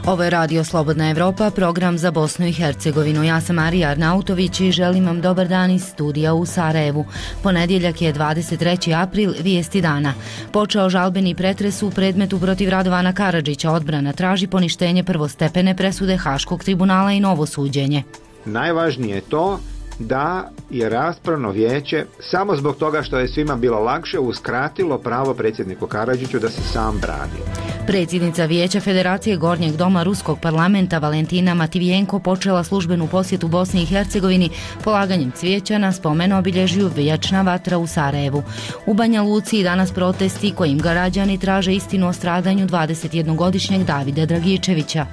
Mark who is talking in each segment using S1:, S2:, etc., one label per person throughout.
S1: Ovo je Radio Slobodna Evropa, program za Bosnu i Hercegovinu. Ja sam Marija Arnautović i želim vam dobar dan iz studija u Sarajevu. Ponedjeljak je 23. april, vijesti dana. Počeo žalbeni pretres u predmetu protiv Radovana Karadžića. Odbrana traži poništenje prvostepene presude Haškog tribunala i novo suđenje.
S2: Najvažnije je to da je raspravno vijeće samo zbog toga što je svima bilo lakše uskratilo pravo predsjedniku Karadžiću da se sam brani.
S1: Predsjednica Vijeća Federacije Gornjeg doma Ruskog parlamenta Valentina Mativijenko počela službenu posjetu Bosni i Hercegovini polaganjem cvijeća na spomen obilježju Vječna vatra u Sarajevu. U Banja Luci danas protesti kojim građani traže istinu o stradanju 21-godišnjeg Davida Dragičevića.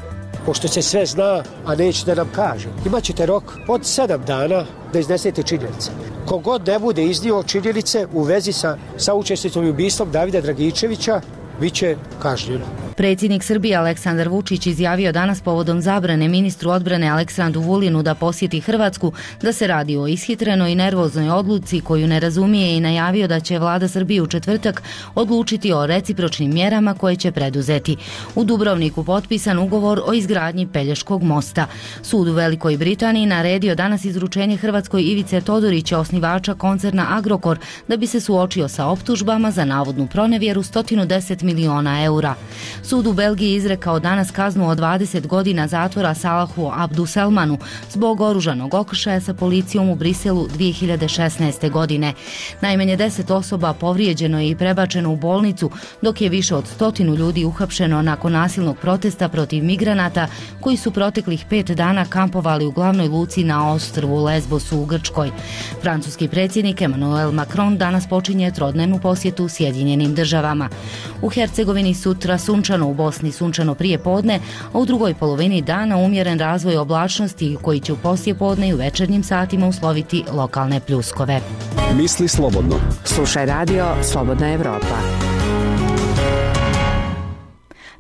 S3: Pošto se sve zna, a neće da nam kaže. Imaćete rok od 7 dana da iznesete činjenice. Kogod ne bude iznio činjenice u vezi sa učesnicom i ubistvom Davida Dragičevića, bit će kažnjen.
S1: Predsjednik Srbije Aleksandar Vučić izjavio danas povodom zabrane ministru odbrane Aleksandru Vulinu da posjeti Hrvatsku da se radi o ishitrenoj i nervoznoj odluci koju ne razumije i najavio da će vlada Srbije u četvrtak odlučiti o recipročnim mjerama koje će preduzeti. U Dubrovniku potpisan ugovor o izgradnji Pelješkog mosta. Sud u Velikoj Britaniji naredio danas izručenje Hrvatskoj Ivice Todorića, osnivača koncerna Agrokor, da bi se suočio sa optužbama za navodnu pronevjeru 110 miliona eura. Sud u Belgiji izrekao danas kaznu od 20 godina zatvora Salahu Abduselmanu zbog oružanog okršaja sa policijom u Briselu 2016. godine. Najmanje 10 osoba povrijeđeno je i prebačeno u bolnicu, dok je više od 100 ljudi uhapšeno nakon nasilnog protesta protiv migranata koji su proteklih 5 dana kampovali u glavnoj luci na ostrvu Lesbosu u Grčkoj. Francuski predsjednik Emmanuel Macron danas počinje trodnevnu posjetu Sjedinjenim državama. U Hercegovini sutra sunčano, u Bosni sunčano prije podne, a u drugoj polovini dana umjeren razvoj oblačnosti koji će u poslije podne i u večernjim satima usloviti lokalne pljuskove.
S4: Misli slobodno.
S5: Slušaj Radio Slobodna Evropa.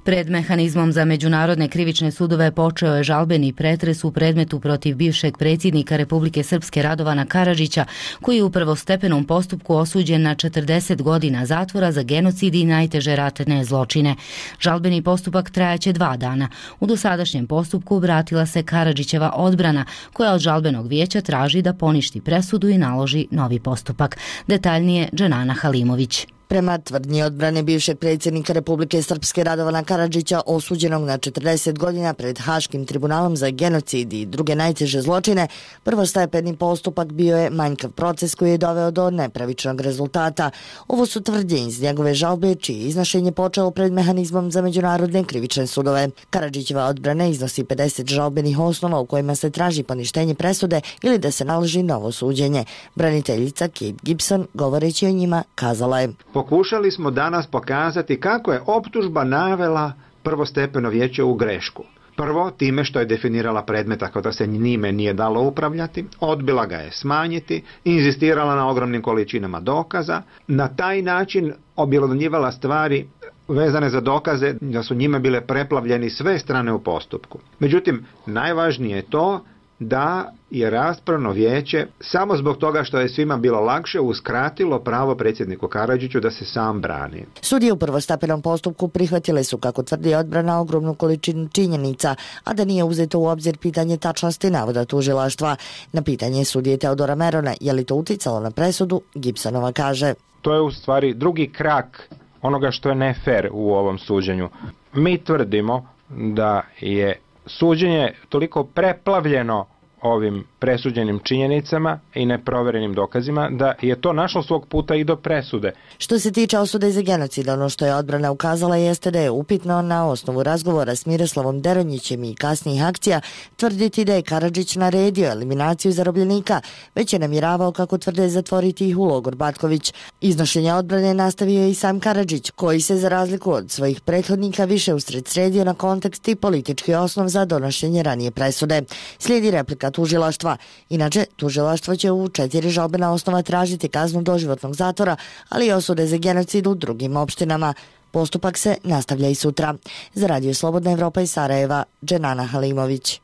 S1: Pred mehanizmom za međunarodne krivične sudove počeo je žalbeni pretres u predmetu protiv bivšeg predsjednika Republike Srpske Radovana Karadžića, koji je u prvostepenom postupku osuđen na 40 godina zatvora za genocid i najteže ratne zločine. Žalbeni postupak trajaće 2 dana. U dosadašnjem postupku obratila se Karadžićeva odbrana, koja od žalbenog vijeća traži da poništi presudu i naloži novi postupak. Detaljnije Dženana Halimović.
S6: Prema tvrdnji odbrane bivšeg predsjednika Republike Srpske Radovana Karadžića, osuđenog na 40 godina pred Haškim tribunalom za genocid i druge najteže zločine, prvostepeni postupak bio je manjkav proces koji je doveo do nepravičnog rezultata. Ovo su tvrdnje iz njegove žalbe, čije iznošenje počelo pred mehanizmom za međunarodne krivične sudove. Karadžićeva odbrana iznosi 50 žalbenih osnova u kojima se traži poništenje presude ili da se naloži novo suđenje. Braniteljica Kate Gibson, govoreći o njima, kazala je:
S2: Pokušali smo danas pokazati kako je optužba navela prvostepeno vijeće u grešku. Prvo, time što je definirala predmet tako da se njime nije dalo upravljati, odbila ga je smanjiti, inzistirala na ogromnim količinama dokaza, na taj način objelodnjivala stvari vezane za dokaze da su njime bile preplavljeni sve strane u postupku. Međutim, najvažnije je to da je raspravno vijeće samo zbog toga što je svima bilo lakše uskratilo pravo predsjedniku Karadžiću da se sam brani.
S6: Sudije u prvostepenom postupku prihvatile su, kako tvrdi odbrana, ogromnu količinu činjenica, a da nije uzeto u obzir pitanje tačnosti navoda tužilaštva. Na pitanje sudije Teodora Merona je li to uticalo na presudu, Gibsonova kaže:
S7: To je u stvari drugi krak onoga što je nefer u ovom suđenju. Mi tvrdimo da je suđenje toliko preplavljeno ovim presuđenim činjenicama i neproverenim dokazima da je to našlo svog puta i do presude.
S6: Što se tiče osude za genocid, ono što je odbrana ukazala jeste da je upitno na osnovu razgovora s Miroslavom Deronjićem i kasnijih akcija tvrditi da je Karadžić naredio eliminaciju zarobljenika, već je namjeravao, kako tvrde, zatvoriti ih u logor Batković. Iznošenje odbrane nastavio je i sam Karadžić, koji se za razliku od svojih prethodnika više usredsredio na kontekst i politički osnov za donošenje ranije presude. Slijedi replika tužilaštva. Inače, tužilaštvo će u 4 žalbena osnova tražiti kaznu doživotnog zatvora, ali i osude za genocid u drugim opštinama. Postupak se nastavlja i sutra. Za Radio Slobodna Evropa iz Sarajeva, Dženana Halimović.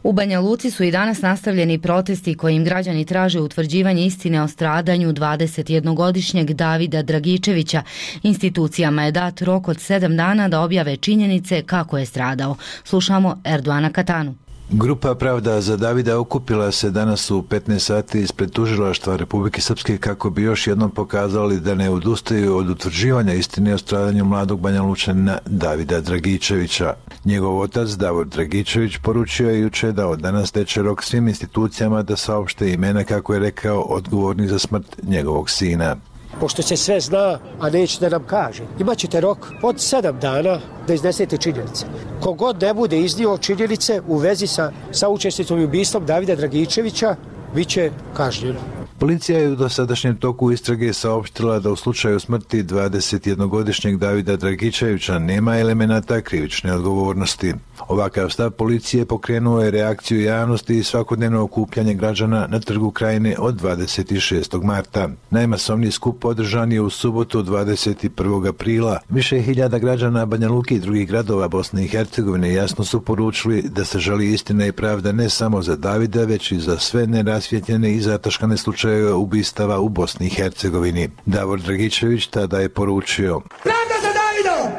S1: U Banja Luci su i danas nastavljeni protesti kojim građani traže utvrđivanje istine o stradanju 21-godišnjeg Davida Dragičevića. Institucijama je dat rok od 7 dana da objave činjenice kako je stradao. Slušamo Erdoana Katanu.
S4: Grupa Pravda za Davida okupila se danas u 15 sati ispred tužilaštva Republike Srpske kako bi još jednom pokazali da ne odustaju od utvrđivanja istine o stradanju mladog Banja Lučanina Davida Dragičevića. Njegov otac Davor Dragičević poručio je juče da od danas teče rok svim institucijama da saopšte imena, kako je rekao, odgovorni za smrt njegovog sina.
S3: Pošto se sve zna, a neće da nam kaže, imat ćete rok od 7 dana da iznesete činjenice. Kogod ne bude iznio činjenice u vezi sa učesnicom i ubistvom Davida Dragičevića, bit će kažnjen.
S4: Policija je u dosadašnjem toku istrage saopštila da u slučaju smrti 21-godišnjeg Davida Dragičevića nema elemenata krivične odgovornosti. Ovakav stav policije pokrenuo je reakciju javnosti i svakodnevno okupljanje građana na Trgu Krajine od 26. marta. Najmasovniji skup održan je u subotu 21. aprila. Više hiljada građana Banja Luke i drugih gradova Bosne i Hercegovine jasno su poručili da se želi istina i pravda ne samo za Davida, već i za sve nerasvjetljene i zataškane slučajeve ubistava u Bosni i Hercegovini. Davor Dragičević tada je poručio:
S8: pravda za Davidom!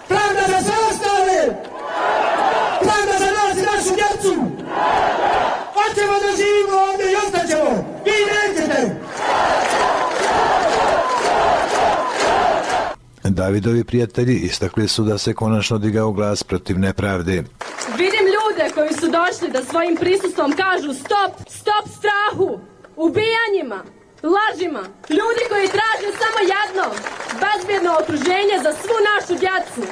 S8: Pravda za sve ostale! Pravda za nas i našu djecu! Hoćemo da živimo ovdje i ostaćemo! Vi nećete!
S4: Davidovi prijatelji istakli su da se konačno digao glas protiv nepravde.
S9: Vidim ljude koji su došli da svojim prisustvom kažu stop strahu, ubijanjima, lažima. Ljudi koji traže samo jedno, bezbjedno okruženje za svu našu djecu.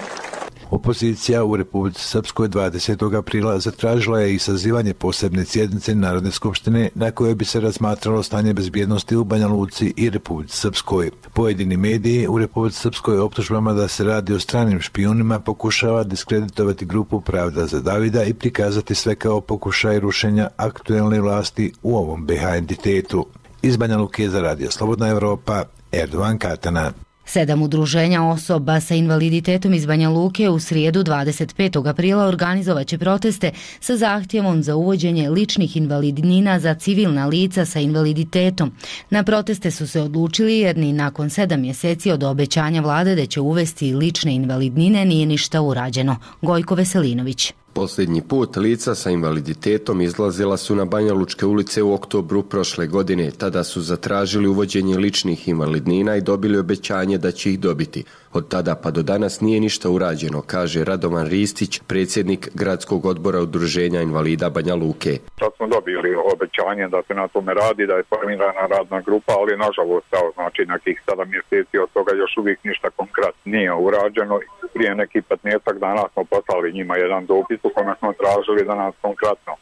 S4: Opozicija u Republici Srpskoj 20. aprila zatražila je i sazivanje posebne sjednice Narodne skupštine na kojoj bi se razmatralo stanje bezbjednosti u Banja Luci i Republici Srpskoj. Pojedini mediji u Republici Srpskoj optužbama da se radi o stranim špijunima pokušava diskreditovati grupu Pravda za Davida i prikazati sve kao pokušaj rušenja aktuelne vlasti u ovom BiH entitetu. Iz Banja Luke za Radio Slobodna Evropa, Erdoan Katana.
S1: 7 udruženja osoba sa invaliditetom iz Banja Luke u srijedu 25. aprila organizovaće proteste sa zahtjevom za uvođenje ličnih invalidnina za civilna lica sa invaliditetom. Na proteste su se odlučili jer ni nakon 7 mjeseci od obećanja vlade da će uvesti lične invalidnine nije ništa urađeno. Gojko Veselinović.
S10: Posljednji put lica sa invaliditetom izlazila su na Banjalučke ulice u oktobru prošle godine. Tada su zatražili uvođenje ličnih invalidnina i dobili obećanje da će ih dobiti. Od tada pa do danas nije ništa urađeno, kaže Radovan Ristić, predsjednik gradskog odbora udruženja invalida Banja Luke.
S11: Sad smo dobili obećanje da se na tome radi, da je formirana radna grupa, ali nažalost, znači nekih 7 mjeseci od toga još uvijek ništa konkretno nije urađeno. Prije nekih 15 dana smo poslali njima jedan dopis u kome smo tražili da nas konkretno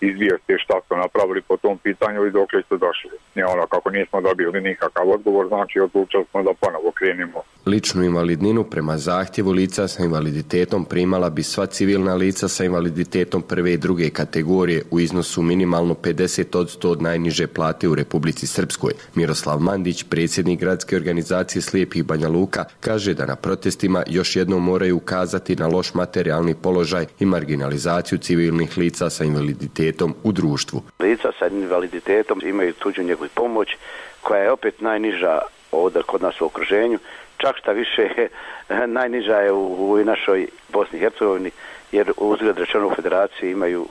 S11: izvijesti šta su napravili po tom pitanju i dokle su došli. Kako nismo dobili nikakav odgovor, znači odlučili smo da ponovo krenimo.
S10: Ličnu invalidninu prema zahtjevu lica sa invaliditetom primala bi sva civilna lica sa invaliditetom prve i druge kategorije u iznosu minimalno 50% od najniže plate u Republici Srpskoj. Miroslav Mandić, predsjednik gradske organizacije slijepih Banja Luka, kaže da na protestima još jednom moraju ukazati na loš materijalni položaj i marginalizaciju civilnih lica sa invaliditetom u društvu.
S12: Lica sa invaliditetom imaju tuđu njegu i pomoć koja je opet najniža ovdje kod nas u okruženju. Čak šta više najniža je u našoj Bosni i Hercegovini, jer uzgled rečeno u federaciji imaju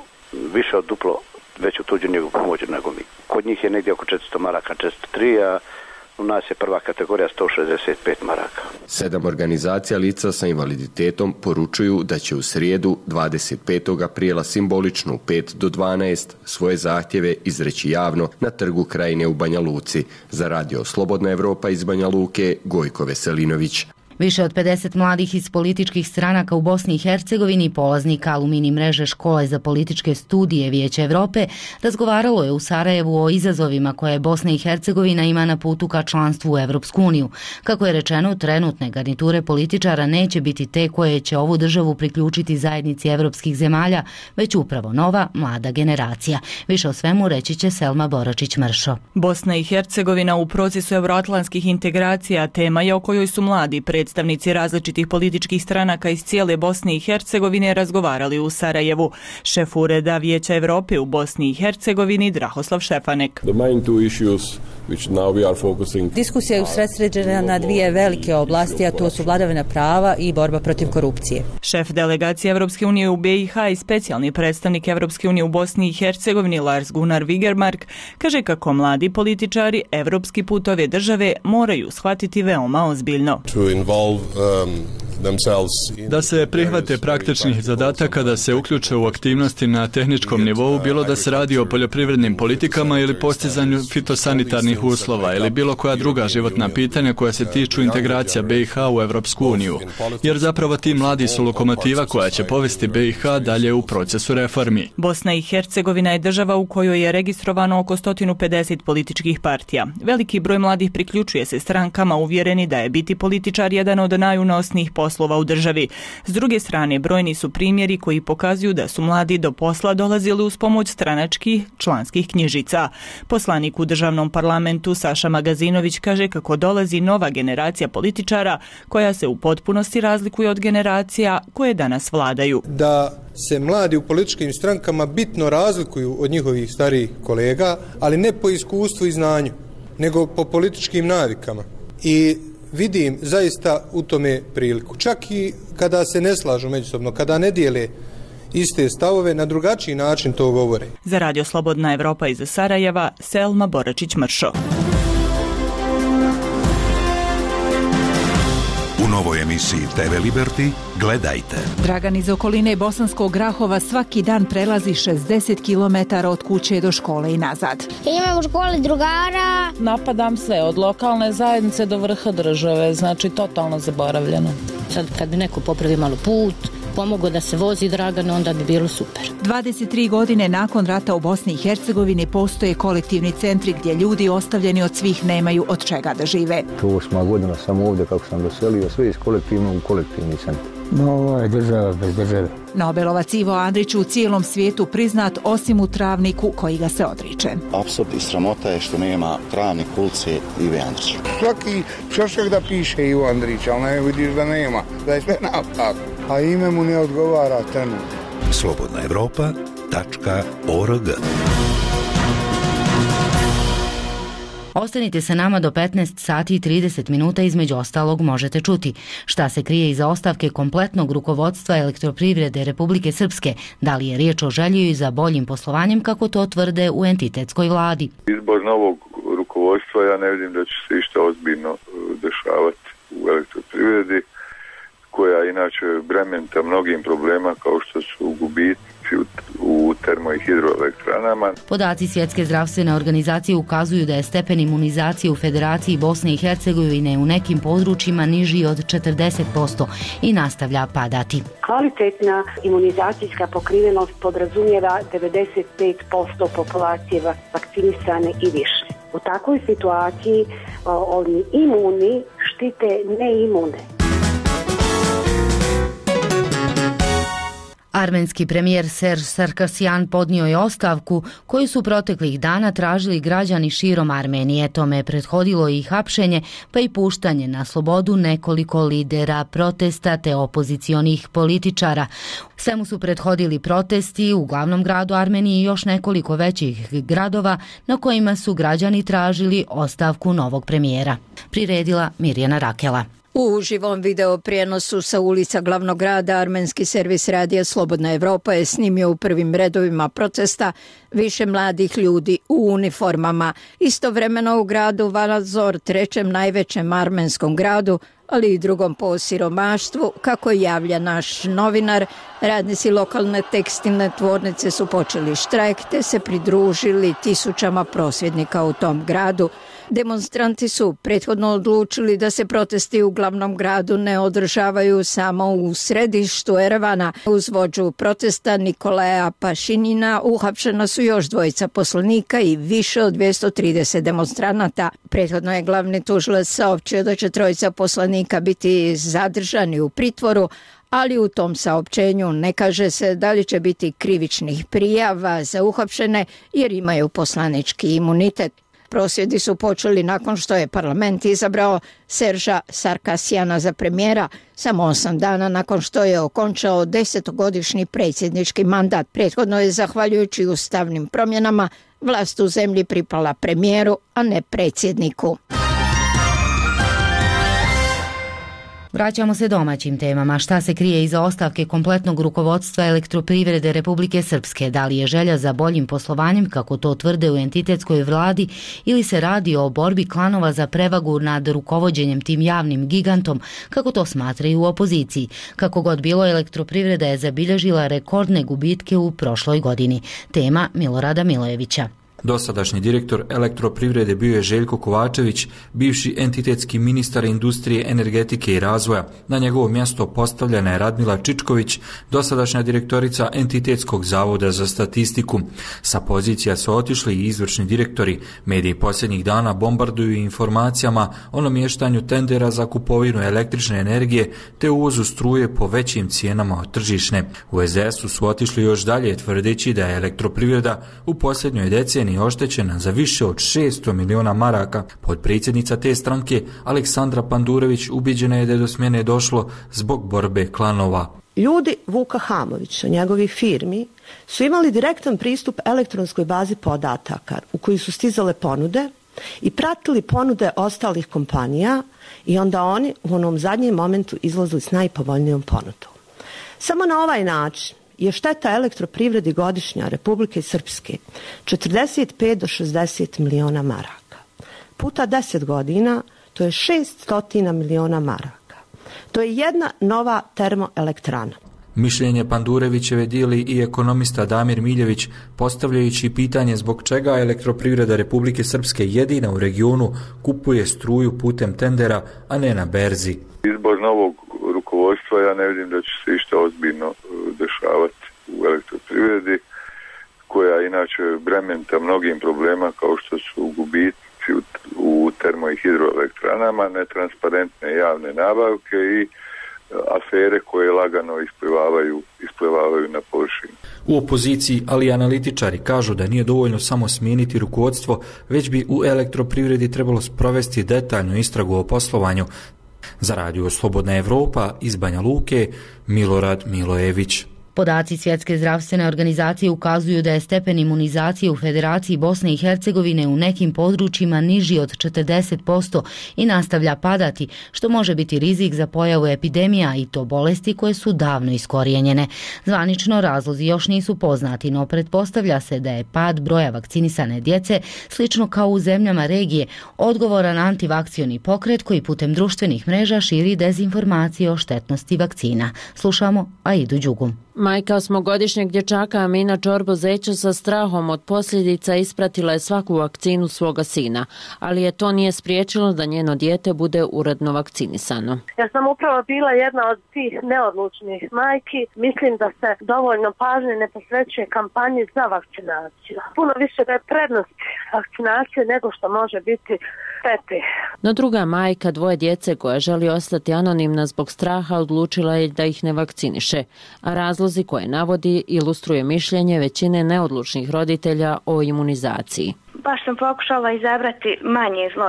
S12: više od duplo veću tuđu njegu pomoć nego mi. Kod njih je negdje oko 400 maraka, 403, a u nas je prva kategorija 165 maraka.
S10: 7 organizacija lica sa invaliditetom poručuju da će u srijedu 25. aprila simbolično u 5 do 12 svoje zahtjeve izreći javno na Trgu Krajine u Banja Luci. Za Radio Slobodna Evropa iz Banja Luke, Gojko Veselinović.
S1: Više od 50 mladih iz političkih stranaka u Bosni i Hercegovini, polaznika alumini mreže Škole za političke studije Vijeća Evrope, razgovaralo je u Sarajevu o izazovima koje Bosna i Hercegovina ima na putu ka članstvu u Evropsku uniju. Kako je rečeno, trenutne garniture političara neće biti te koje će ovu državu priključiti zajednici evropskih zemalja, već upravo nova, mlada generacija. Više o svemu reći će Selma Boračić-Mršo.
S13: Bosna i Hercegovina u procesu euroatlantskih integracija tema je o kojoj su mladi predstavnici različitih političkih stranaka iz cijele Bosne i Hercegovine razgovarali u Sarajevu. Šef Ureda Vijeća Europe u Bosni i Hercegovini Drahoslav Šefanek.
S14: Diskusija je usredsređena na dvije velike oblasti, a to su vladavina prava i borba protiv korupcije.
S13: Šef delegacije Evropske unije u BiH i specijalni predstavnik Evropske unije u Bosni i Hercegovini Lars Gunnar Vigermark kaže kako mladi političari evropski put ove države moraju shvatiti veoma ozbiljno.
S15: Da se prihvate praktičnih zadataka, da se uključe u aktivnosti na tehničkom nivou, bilo da se radi o poljoprivrednim politikama ili postizanju fitosanitarnih uslova ili bilo koja druga životna pitanja koja se tiču integracija BiH u Evropsku uniju. Jer zapravo ti mladi su lokomotiva koja će povesti BiH dalje u procesu reformi.
S13: Bosna i Hercegovina je država u kojoj je registrovano oko 150 političkih partija. Veliki broj mladih priključuje se strankama uvjereni da je biti političar jedan od najunosnijih poslova u državi. S druge strane, brojni su primjeri koji pokazuju da su mladi do posla dolazili uz pomoć stranačkih članskih knjižica. Poslanik u državnom parlamentu Saša Magazinović kaže kako dolazi nova generacija političara koja se u potpunosti razlikuje od generacija koje danas vladaju.
S16: Da se mladi u političkim strankama bitno razlikuju od njihovih starijih kolega, ali ne po iskustvu i znanju, nego po političkim navikama. I vidim zaista u tome priliku. Čak i kada se ne slažu međusobno, kada ne dijele iste stavove, na drugačiji način to govore.
S13: Za Radio Slobodna Evropa iz Sarajeva, Selma Boračić-Mršo.
S17: U novoj emisiji TV Liberty gledajte.
S18: Dragan iz okoline Bosanskog Grahova svaki dan prelazi 60 km od kuće do škole i nazad.
S19: Imam u školi drugara.
S20: Napadam sve, od lokalne zajednice do vrha države, znači totalno zaboravljeno.
S21: Sad kad bi neko popravi malo put, pomogao da se vozi Dragan, onda bi bilo super.
S18: 23 godine nakon rata u Bosni i Hercegovini postoje kolektivni centri gdje ljudi ostavljeni od svih nemaju od čega da žive.
S22: 8 godina sam ovdje kako sam doselio, sve iz kolektivnog u kolektivni centar. No, ovo je država bez države.
S18: Nobelovac Ivo Andrić u cijelom svijetu priznat osim u Travniku koji ga se odriče.
S23: Apsurd i sramota je što nema Travnik ulice Ive Andrića.
S24: Svaki čošak da piše Ivo Andrić, ali ne vidiš da nema, da je sve napak, a ime mu ne odgovara trenutno.
S17: slobodnaevropa.org.
S1: Ostanite sa nama do 15 sati i 30 minuta, između ostalog možete čuti šta se krije iza ostavke kompletnog rukovodstva Elektroprivrede Republike Srpske, da li je riječ o želji za boljim poslovanjem kako to tvrde u entitetskoj vladi.
S25: Izbor novog rukovodstva, ja ne vidim da će se išta ozbiljno dešavati u Elektroprivredi, koja inače brementa mnogim problema kao što su gubici u termo- i hidroelektranama.
S1: Podaci Svjetske zdravstvene organizacije ukazuju da je stepen imunizacije u Federaciji Bosne i Hercegovine u nekim područjima niži od 40% i nastavlja padati.
S26: Kvalitetna imunizacijska pokrivenost podrazumijeva 95% populacije vakcinisane i više. U takvoj situaciji oni imuni štite neimune.
S1: Armenski premijer Serž Sarkasjan podnio je ostavku koju su proteklih dana tražili građani širom Armenije. Tome je prethodilo i hapšenje pa i puštanje na slobodu nekoliko lidera protesta te opozicionih političara. Svemu su prethodili protesti u glavnom gradu Armenije i još nekoliko većih gradova na kojima su građani tražili ostavku novog premijera. Priredila Mirjana Rakela.
S27: U uživom video prijenosu sa ulica glavnog grada armenski servis radija Slobodna Evropa je snimio u prvim redovima protesta više mladih ljudi u uniformama. Istovremeno u gradu Valazor, trećem najvećem armenskom gradu, ali i drugom po siromaštvu, kako javlja naš novinar, radnici lokalne tekstilne tvornice su počeli štrajk te se pridružili tisućama prosvjednika u tom gradu. Demonstranti su prethodno odlučili da se protesti u glavnom gradu ne održavaju samo u središtu Erevana. Uz vođu protesta Nikolaja Pašinina uhapšena su još dvojica poslanika i više od 230 demonstranata. Prethodno je glavni tužilac saopćio da će trojica poslanika biti zadržani u pritvoru, ali u tom saopćenju ne kaže se da li će biti krivičnih prijava za uhapšene jer imaju poslanički imunitet. Prosvjedi su počeli nakon što je parlament izabrao Serža Sarkasijana za premijera, samo 8 dana nakon što je okončao 10-godišnji predsjednički mandat. Prethodno je, zahvaljujući ustavnim promjenama, vlast u zemlji pripala premijeru, a ne predsjedniku.
S1: Vraćamo se domaćim temama. Šta se krije iza ostavke kompletnog rukovodstva Elektroprivrede Republike Srpske? Da li je želja za boljim poslovanjem, kako to tvrde u entitetskoj vladi, ili se radi o borbi klanova za prevagu nad rukovođenjem tim javnim gigantom, kako to smatraju u opoziciji? Kako god bilo, Elektroprivreda je zabilježila rekordne gubitke u prošloj godini. Tema Milorada Milojevića.
S2: Dosadašnji direktor Elektroprivrede bio je Željko Kovačević, bivši entitetski ministar industrije, energetike i razvoja. Na njegovo mjesto postavljena je Radmila Čičković, dosadašnja direktorica Entitetskog zavoda za statistiku. Sa pozicija su otišli i izvršni direktori. Mediji posljednjih dana bombarduju informacijama o namještanju tendera za kupovinu električne energije te uvozu struje po većim cijenama od tržišne. U SDS-u su otišli još dalje, tvrdeći da je Elektroprivreda u posljednjoj deceniji oštećena za više od 600 miliona maraka. Potpredsjednica te stranke Aleksandra Pandurević ubiđena je da je do smjene došlo zbog borbe klanova.
S3: Ljudi Vuka Hamovića, njegovih firmi, su imali direktan pristup elektronskoj bazi podataka u koji su stizale ponude i pratili ponude ostalih kompanija i onda oni u onom zadnjem momentu izlazili s najpovoljnijom ponudom. Samo na ovaj način je šteta Elektroprivredi godišnja Republike Srpske 45 do 60 miliona maraka. Puta 10 godina, to je 600 miliona maraka. To je jedna nova termoelektrana.
S2: Mišljenje Pandurevićeve dijeli i ekonomista Damir Miljević, postavljajući pitanje zbog čega Elektroprivreda Republike Srpske jedina u regionu kupuje struju putem tendera, a ne na berzi.
S25: Izbor novog rukovodstva, ja ne vidim da će se išta ozbiljno dešavati u Elektroprivredi, koja inače brementa mnogim problema kao što su gubici u termo- i hidroelektranama, netransparentne javne nabavke i afere koje lagano isplivavaju na površinu.
S2: U opoziciji, ali i analitičari kažu da nije dovoljno samo smijeniti rukovodstvo, već bi u Elektroprivredi trebalo sprovesti detaljnu istragu o poslovanju. Za Radio Slobodna Evropa iz Banja Luke, Milorad Milojević.
S1: Podaci Svjetske zdravstvene organizacije ukazuju da je stepen imunizacije u Federaciji Bosne i Hercegovine u nekim područjima niži od 40% i nastavlja padati, što može biti rizik za pojavu epidemija i to bolesti koje su davno iskorijenjene. Zvanično razlozi još nisu poznati, no pretpostavlja se da je pad broja vakcinisane djece, slično kao u zemljama regije, odgovoran antivakcioni pokret koji putem društvenih mreža širi dezinformacije o štetnosti vakcina. Slušamo Aidu Đugum.
S5: Majka 8-godišnjeg dječaka Amina Čorbo-Zeća sa strahom od posljedica ispratila je svaku vakcinu svoga sina, ali je to nije spriječilo da njeno dijete bude uredno vakcinisano.
S6: Ja sam upravo bila jedna od tih neodlučnih majki. Mislim da se dovoljno pažnje ne posvećuje kampanji za vakcinaciju. Puno više da je prednost vakcinacije nego što može biti štete.
S5: No druga majka dvoje djece koja želi ostati anonimna zbog straha odlučila je da ih ne vakciniše, a razlozi koje navodi ilustruje mišljenje većine neodlučnih roditelja o imunizaciji.
S7: Baš sam pokušala izabrati manje zlo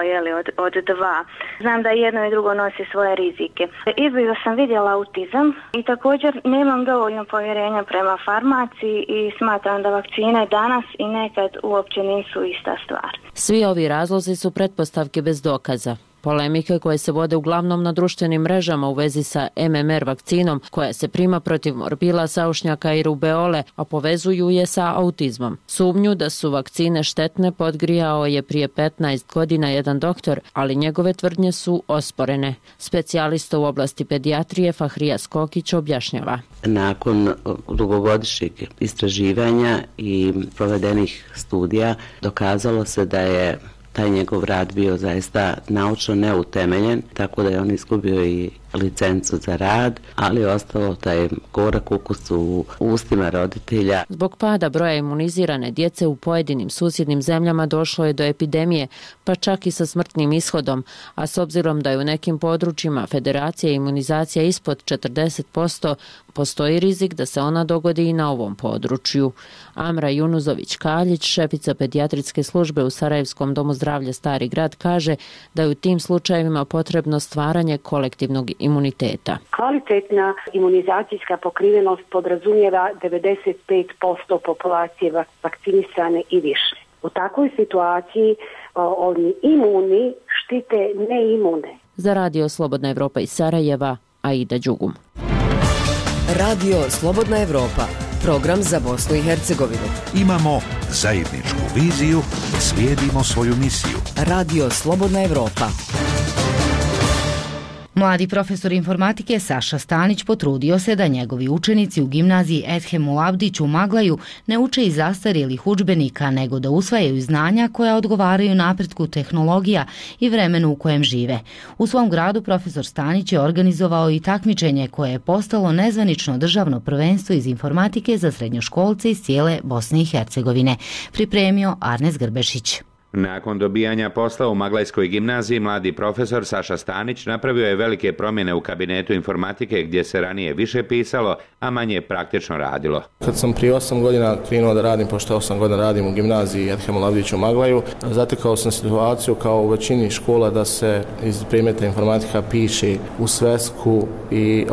S7: od dva. Znam da jedno i drugo nosi svoje rizike. Izbliza sam vidjela autizam i također nemam dovoljno povjerenja prema farmaciji i smatram da vakcine danas i nekad uopće nisu ista stvar.
S5: Svi ovi razlozi su pretpostavke bez dokaza. Polemike koje se vode uglavnom na društvenim mrežama u vezi sa MMR vakcinom koja se prima protiv morbila, saušnjaka i rubeole, a povezuju je sa autizmom. Sumnju da su vakcine štetne podgrijao je prije 15 godina jedan doktor, ali njegove tvrdnje su osporene. Specijalista u oblasti pedijatrije Fahrija Skokić objašnjava.
S8: Nakon dugogodišnjeg istraživanja i provedenih studija dokazalo se da je taj njegov rad bio zaista naučno neutemeljen, tako da je on izgubio i licencu za rad, ali je ostalo taj gorak ukus u ustima roditelja.
S5: Zbog pada broja imunizirane djece u pojedinim susjednim zemljama došlo je do epidemije, pa čak i sa smrtnim ishodom, a s obzirom da je u nekim područjima federacija imunizacija ispod 40%, postoji rizik da se ona dogodi i na ovom području. Amra Junuzović-Kaljić, šefica pedijatrijske službe u Sarajevskom domu zdravlja Stari grad, kaže da je u tim slučajevima potrebno stvaranje kolektivnog imuniteta.
S26: Kvalitetna imunizacijska pokrivenost podrazumijeva 95% populacije vakcinisane i više. U takvoj situaciji oni imuni štite neimune.
S5: Za Radio Slobodna Evropa iz Sarajeva, Aida Đugum.
S4: Radio Slobodna Evropa, program za Bosnu i Hercegovinu.
S17: Imamo zajedničku viziju, slijedimo svoju misiju.
S4: Radio Slobodna Evropa.
S1: Mladi profesor informatike Saša Stanić potrudio se da njegovi učenici u gimnaziji Edhem Ulabdić u Maglaju ne uče iz zastarjelih udžbenika, nego da usvajaju znanja koja odgovaraju napretku tehnologija i vremenu u kojem žive. U svom gradu profesor Stanić je organizovao i takmičenje koje je postalo nezvanično državno prvenstvo iz informatike za srednjoškolce iz cijele Bosne i Hercegovine. Pripremio Arnes Grbešić.
S9: Nakon dobijanja posla u Maglajskoj gimnaziji, mladi profesor Saša Stanić napravio je velike promjene u kabinetu informatike gdje se ranije više pisalo, a manje praktično radilo.
S10: Kad sam prije 8 godina krenuo da radim, pošto 8 godina radim u gimnaziji Edhem Ulabdić u Maglaju, zatekao sam situaciju kao u većini škola da se iz predmeta informatika piše u svesku i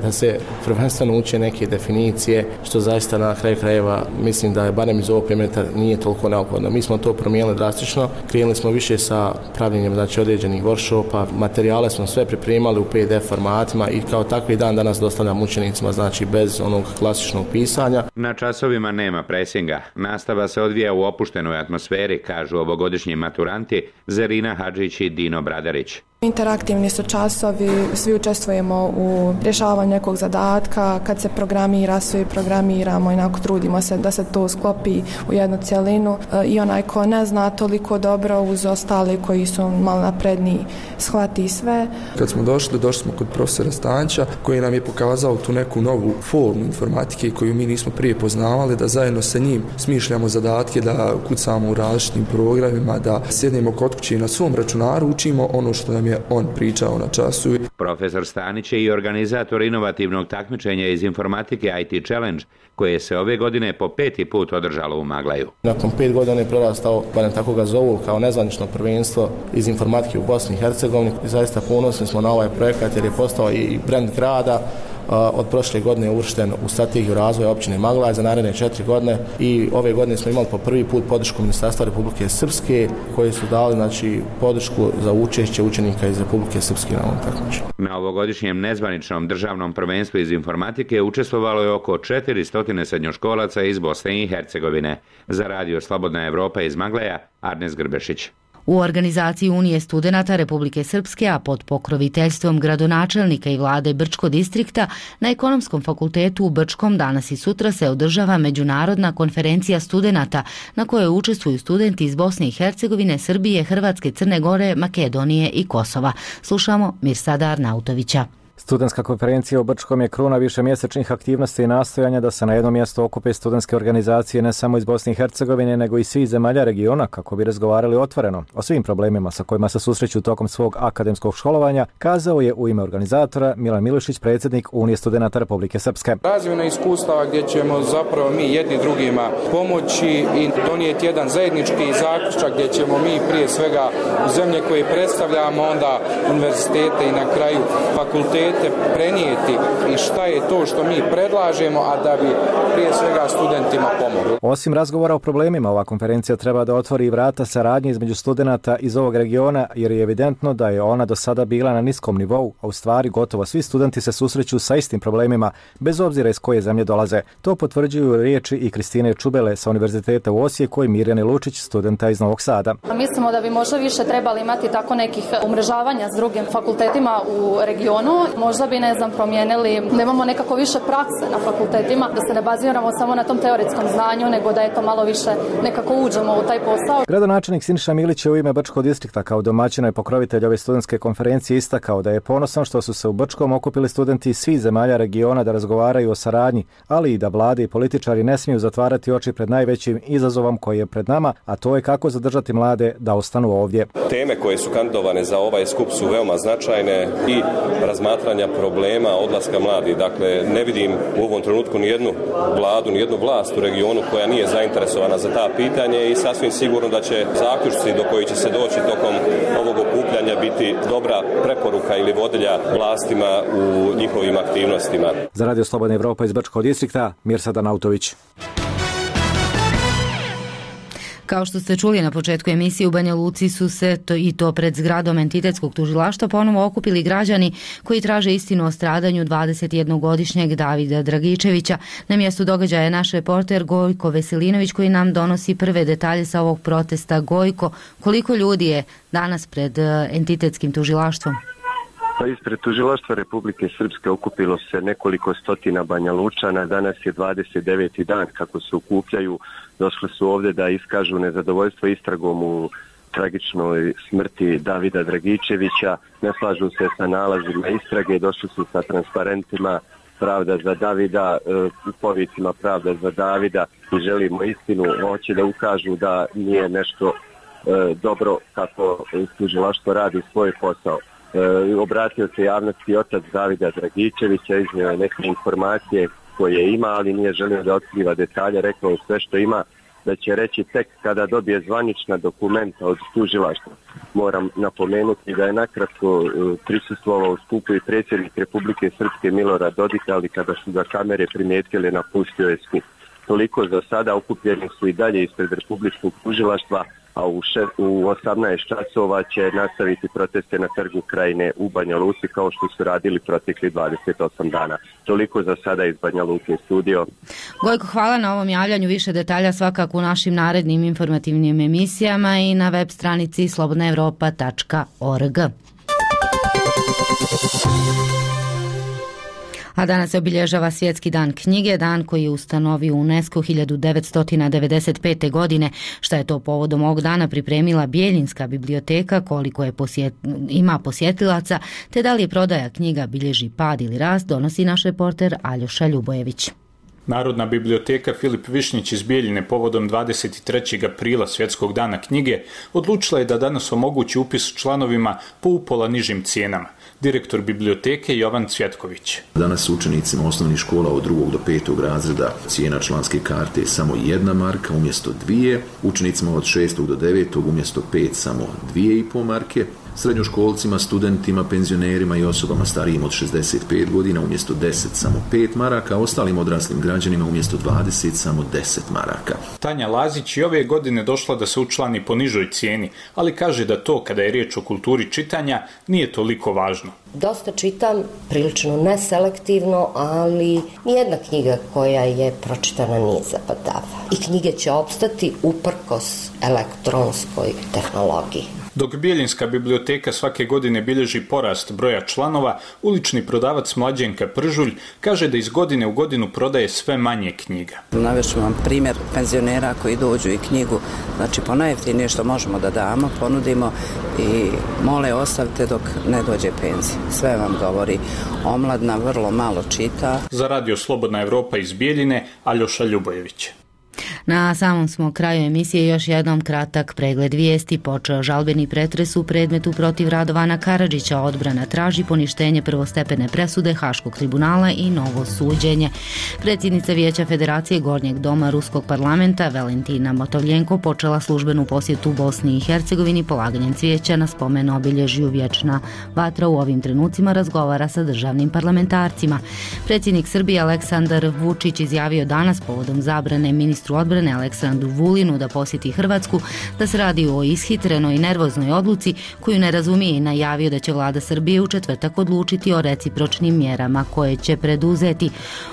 S10: da se prvenstveno uče neke definicije, što zaista na kraju krajeva mislim da je barem iz ovog predmeta nije toliko neophodno. Mi smo to promijenili drastično. Krenuli smo više sa pravljenjem određenih workshopa, materijale smo sve pripremali u PDF formatima i kao takvi dan danas dostavljam učenicima, bez onog klasičnog pisanja.
S9: Na časovima nema presinga. Nastava se odvija u opuštenoj atmosferi, kažu ovogodišnji maturanti Zerina Hadžić i Dino Bradarić.
S11: Interaktivni su časovi, svi učestvujemo u rješavanju nekog zadatka, kad se programira, svi programiramo i onako trudimo se da se to sklopi u jednu cjelinu i onaj ko ne zna toliko dobro uz ostali koji su malo napredniji shvati sve.
S12: Kad smo došli smo kod profesora Stanića koji nam je pokazao tu neku novu formu informatike koju mi nismo prije poznavali, da zajedno sa njim smišljamo zadatke, da kucamo u različitim programima, da sjednemo kod kuće na svom računaru, učimo ono što nam je on pričao na času.
S9: Profesor Stanić je i organizator inovativnog takmičenja iz informatike IT Challenge, koje se ove godine po 5. put održalo u Maglaju.
S10: Nakon 5 godina je prorastao, barem tako ga zovu, kao nezvanično prvenstvo iz informatike u Bosni i Hercegovini. Zaista ponosni smo na ovaj projekat jer je postao i brend grada. Od prošle godine je uvršten u strategiju razvoja općine Maglaj za naredne 4 godine i ove godine smo imali po prvi put podršku Ministarstva Republike Srpske koji su dali podršku za učešće učenika iz Republike Srpske na ovom takmičenju.
S9: Na ovogodišnjem nezvaničnom državnom prvenstvu iz informatike učestvovalo je oko 400 srednjoškolaca iz Bosne i Hercegovine. Za Radio Slobodna Evropa iz Maglaja, Arnes Grbešić.
S1: U organizaciji Unije studenata Republike Srpske, a pod pokroviteljstvom gradonačelnika i vlade Brčko distrikta, na Ekonomskom fakultetu u Brčkom danas i sutra se održava međunarodna konferencija studenata na kojoj učestvuju studenti iz Bosne i Hercegovine, Srbije, Hrvatske, Crne Gore, Makedonije i Kosova. Slušamo Mirsada Arnautovića.
S14: Studentska konferencija u Brčkom je kruna višemjesečnih aktivnosti i nastojanja da se na jednom mjestu okupe studentske organizacije ne samo iz Bosne i Hercegovine, nego i svih zemalja regiona kako bi razgovarali otvoreno o svim problemima sa kojima se susreću tokom svog akademskog školovanja, kazao je u ime organizatora Milan Milošić, predsjednik Unije studenata Republike Srpske.
S15: Razvijena iskustava gdje ćemo zapravo mi jedni drugima pomoći i donijeti jedan zajednički zaključak gdje ćemo mi prije svega u zemlje koje predstavljamo, onda univerzitete i na kraju fakultete prenijeti i šta je to što mi predlažemo, a da bi prije svega studentima pomogli.
S14: Osim razgovora o problemima, ova konferencija treba da otvori vrata saradnje između studenata iz ovog regiona, jer je evidentno da je ona do sada bila na niskom nivou, a u stvari gotovo svi studenti se susreću sa istim problemima, bez obzira iz koje zemlje dolaze. To potvrđuju riječi i Kristine Čubele sa Univerziteta u Osijeku i Mirjane Lučić, studenta iz Novog Sada.
S28: Mislimo da bi možda više trebali imati tako nekih umrežavanja s drugim fakultetima u regionu.
S13: možda bi, promijenili, da imamo nekako više prakse na fakultetima, da se ne baziramo samo na tom teoretskom znanju, nego da je to malo više nekako uđemo u taj posao.
S14: Gradonačelnik Siniša Milić je u ime Brčkog distrikta kao domaćina i pokrovitelj ove studentske konferencije istakao da je ponosan što su se u Brčkom okupili studenti iz svih zemalja regiona da razgovaraju o saradnji, ali i da vlade i političari ne smiju zatvarati oči pred najvećim izazovom koji je pred nama, a to je kako zadržati mlade da ostanu ovdje.
S16: Teme koje su kandidovane za ovaj skup su veoma značajne i razmatranja problema odlaska mladih. Dakle, ne vidim u ovom trenutku ni jednu vladu, ni jednu vlast u regionu koja nije zainteresovana za ta pitanje i sasvim sigurno da će zaključci do koji će se doći tokom ovog okupljanja biti dobra preporuka ili vodilja vlastima u njihovim aktivnostima.
S14: Za Radio Slobodna Evropa iz Brčkog distrikta, Mirsad Nautović.
S1: Kao što ste čuli na početku emisije, u Banja Luci su se i to pred zgradom entitetskog tužilaštva ponovo okupili građani koji traže istinu o stradanju 21-godišnjeg Davida Dragičevića. Na mjestu događaja je naš reporter Gojko Veselinović koji nam donosi prve detalje sa ovog protesta. Gojko, koliko ljudi je danas pred entitetskim tužilaštvom?
S18: Ispred tužilaštva Republike Srpske okupilo se nekoliko stotina Banja Lučana. Danas je 29. dan kako se okupljaju. Došli su ovdje da iskažu nezadovoljstvo istragom u tragičnoj smrti Davida Dragičevića. Ne slažu se sa nalazima istrage, došli su sa transparentima Pravda za Davida, u povicima Pravda za Davida i želimo istinu. Hoće da ukažu da nije nešto dobro kako tužilaštvo radi svoj posao. Obratio se javnosti otac Davida Dragičevića, iznio je neke informacije koje ima, ali nije želio da otkriva detalje, rekao je sve što ima, da će reći tek kada dobije zvanična dokumenta od tužilaštva. Moram napomenuti da je nakratko prisustvovao u skupu i predsjednik Republike Srpske Milorad Dodik, ali kada su ga kamere primijetile, napustio je skup. Toliko za sada, okupljeni su i dalje ispred Republičkog tužilaštva, a u 18 časova će nastaviti proteste na Trgu Krajine u Banja Luci kao što su radili protekli 28 dana. Toliko za sada iz Banja Luke studio.
S1: Gojko, hvala na ovom javljanju. Više detalja svakako u našim narednim informativnim emisijama i na web stranici slobodnaevropa.org. A danas se obilježava Svjetski dan knjige, dan koji je ustanovio UNESCO 1995. godine. Šta je to povodom ovog dana pripremila Bijeljinska biblioteka, koliko je ima posjetilaca, te da li je prodaja knjiga bilježi pad ili rast, donosi naš reporter Aljoša Ljubojević.
S19: Narodna biblioteka Filip Višnjić iz Bijeljine povodom 23. aprila Svjetskog dana knjige odlučila je da danas omogući upis članovima po upola nižim cijenama. Direktor biblioteke Jovan Cvjetković.
S20: Danas učenicima osnovnih škola od 2. do 5. razreda cijena članske karte je samo 1 marka umjesto 2, učenicima od 6. do 9. umjesto 5 samo 2,5 marke, srednjoškolcima, studentima, penzionerima i osobama starijim od 65 godina umjesto 10 samo 5 maraka, a ostalim odraslim građanima umjesto 20 samo 10 maraka.
S19: Tanja Lazić i ove godine došla da se učlani po nižoj cijeni, ali kaže da to, kada je riječ o kulturi čitanja, nije toliko važno.
S21: Dosta čitam, prilično neselektivno, ali nijedna knjiga koja je pročitana nije zapadava. I knjige će opstati uprkos elektronskoj tehnologiji.
S19: Dok Bijeljinska biblioteka svake godine bilježi porast broja članova, ulični prodavac Mlađenka Pržulj kaže da iz godine u godinu prodaje sve manje knjiga.
S22: Navešću vam primjer penzionera koji dođu i knjigu, znači po najjeftinije što možemo da damo, ponudimo i mole ostavite dok ne dođe penzija. Sve vam govori, omladna vrlo malo čita.
S19: Za Radio Slobodna Evropa iz Bijeljine, Aljoša Ljubojević.
S1: Na samom smo kraju emisije još jednom kratak pregled vijesti. Počeo žalbeni pretres u predmetu protiv Radovana Karadžića. Odbrana traži poništenje prvostepene presude Haškog tribunala i novo suđenje. Predsjednica Vijeća Federacije Gornjeg doma Ruskog parlamenta Valentina Motovljenko počela službenu posjetu Bosni i Hercegovini polaganjem cvijeća na spomen obilježju Vječna vatra. U ovim trenucima razgovara sa državnim parlamentarcima. Predsjednik Srbije Aleksandar Vučić izjavio danas povodom zabrane ministru odbrane odbrane Aleksandru Vulinu da posjeti Hrvatsku, da se radi o ishitrenoj i nervoznoj odluci koju ne razumije i najavio da će vlada Srbije u četvrtak odlučiti o recipročnim mjerama koje će preduzeti.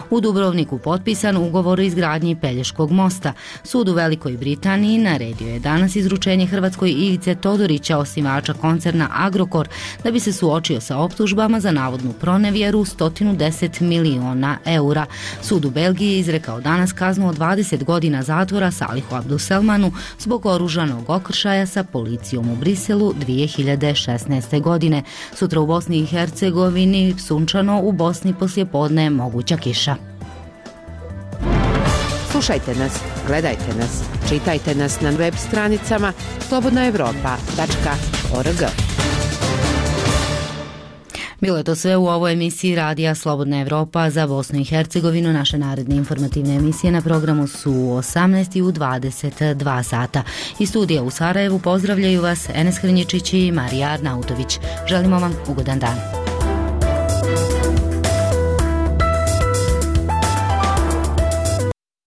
S1: U Dubrovniku potpisan ugovor o izgradnji Pelješkog mosta. Sud u Velikoj Britaniji naredio je danas izručenje Hrvatskoj Ivice Todorića, osnivača koncerna Agrokor, da bi se suočio sa optužbama za navodnu pronevjeru 110 miliona eura. Sud u Belgiji je izrekao danas kaznu od 20 godina zatvora Salihu Abduselmanu zbog oružanog okršaja sa policijom u Briselu 2016. godine. Sutra u Bosni i Hercegovini sunčano, u Bosni poslijepodne moguća kiša.
S2: Slušajte nas, gledajte nas, čitajte nas na web stranicama slobodnaevropa.org.
S1: Bilo je to sve u ovoj emisiji radija Slobodna Evropa za Bosnu i Hercegovinu. Naše naredne informativne emisije na programu su u 18 i u 22 sata. Iz studija u Sarajevu pozdravljaju vas Enes Hrnječić i Marija Arnautović. Želimo vam ugodan dan.